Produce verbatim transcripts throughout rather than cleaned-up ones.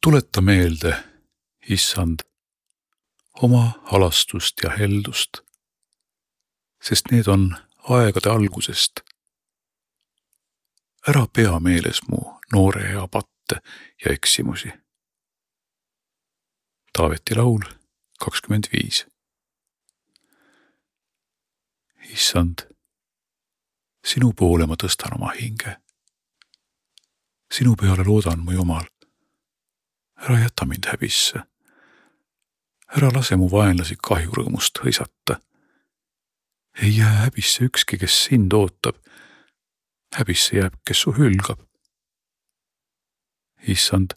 Tuleta meelde, Issand, oma halastust ja heldust, sest need on aegade algusest. Ära pea meeles mu noore ea patte ja eksimusi. Taaveti laul kakskümmend viis. Issand, sinu poole ma tõstan oma hinge. Sinu peale loodan mu Jumal. Ära jäta mind häbisse. Ära lase mu vaenlasi kahjurõõmust hõisata. Ei jää häbisse ükski, kes sind ootab. Häbisse jääb, kes su hülgab. Issand,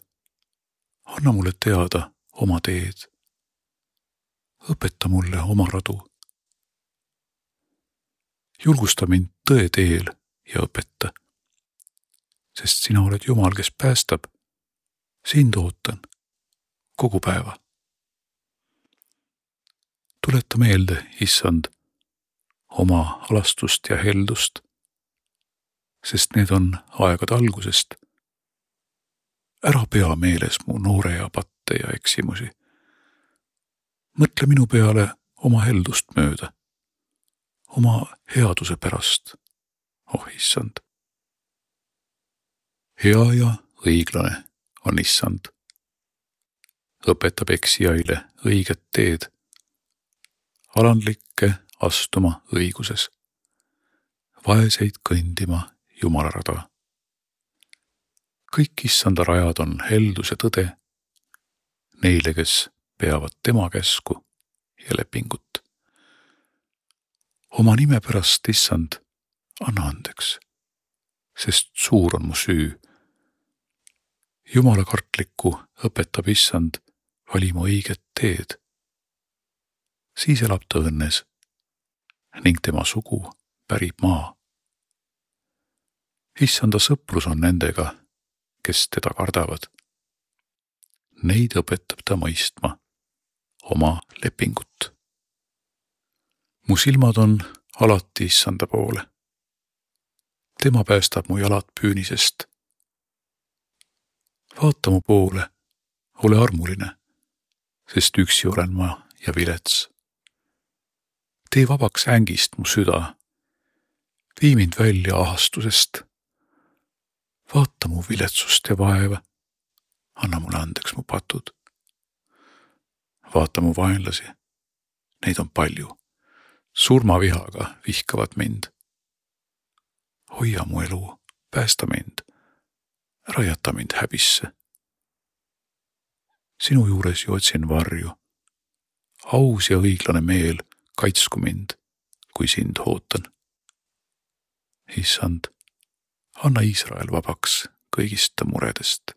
anna mulle teada oma teed. Õpeta mulle oma radu. Julgusta mind tõe teel ja õpeta, sest sina oled Jumal, kes päästab. Sind ootan kogu päeva. Tuleta meelde, Issand, oma halastust ja heldust, sest need on aegade algusest. Ära pea meeles mu noore ea patte ja eksimusi. Mõtle minu peale oma heldust mööda, oma headuse pärast, oh Issand. Hea ja õiglane on Issand. Õpetab eksijaile õiget teed, alandlikke astuma õiguses, vaeseid kõndima Jumala rada. Kõik Issanda rajad on heldus ja tõde neile, kes peavad tema käsku ja lepingut. Oma nime pärast, Issand, anna andeks, sest suur on mu süü. Jumala kartlikku õpetab Issand valima õiget teed. Siis elab ta õnnes ning tema sugu pärib maa. Issanda sõprus on nendega, kes teda kardavad. Neid õpetab ta mõistma oma lepingut. Mu silmad on alati Issanda poole. Tema päästab mu jalad püünisest. Vaata mu poole, ole armuline, sest üksi olen ma ja vilets. Tee vabaks ängist mu süda, vii mind välja ahastusest. Vaata mu viletsust ja vaeva, anna mulle andeks mu patud. Vaata mu vaenlasi, neid on palju, surmavihaga vihkavad mind. Hoia mu elu, päästa mind. Ära jäta mind häbisse. Sinu juures ju otsin varju. Aus ja õiglane meel kaitsku mind, kui sind ootan. Issand, anna Iisrael vabaks kõigist muredest.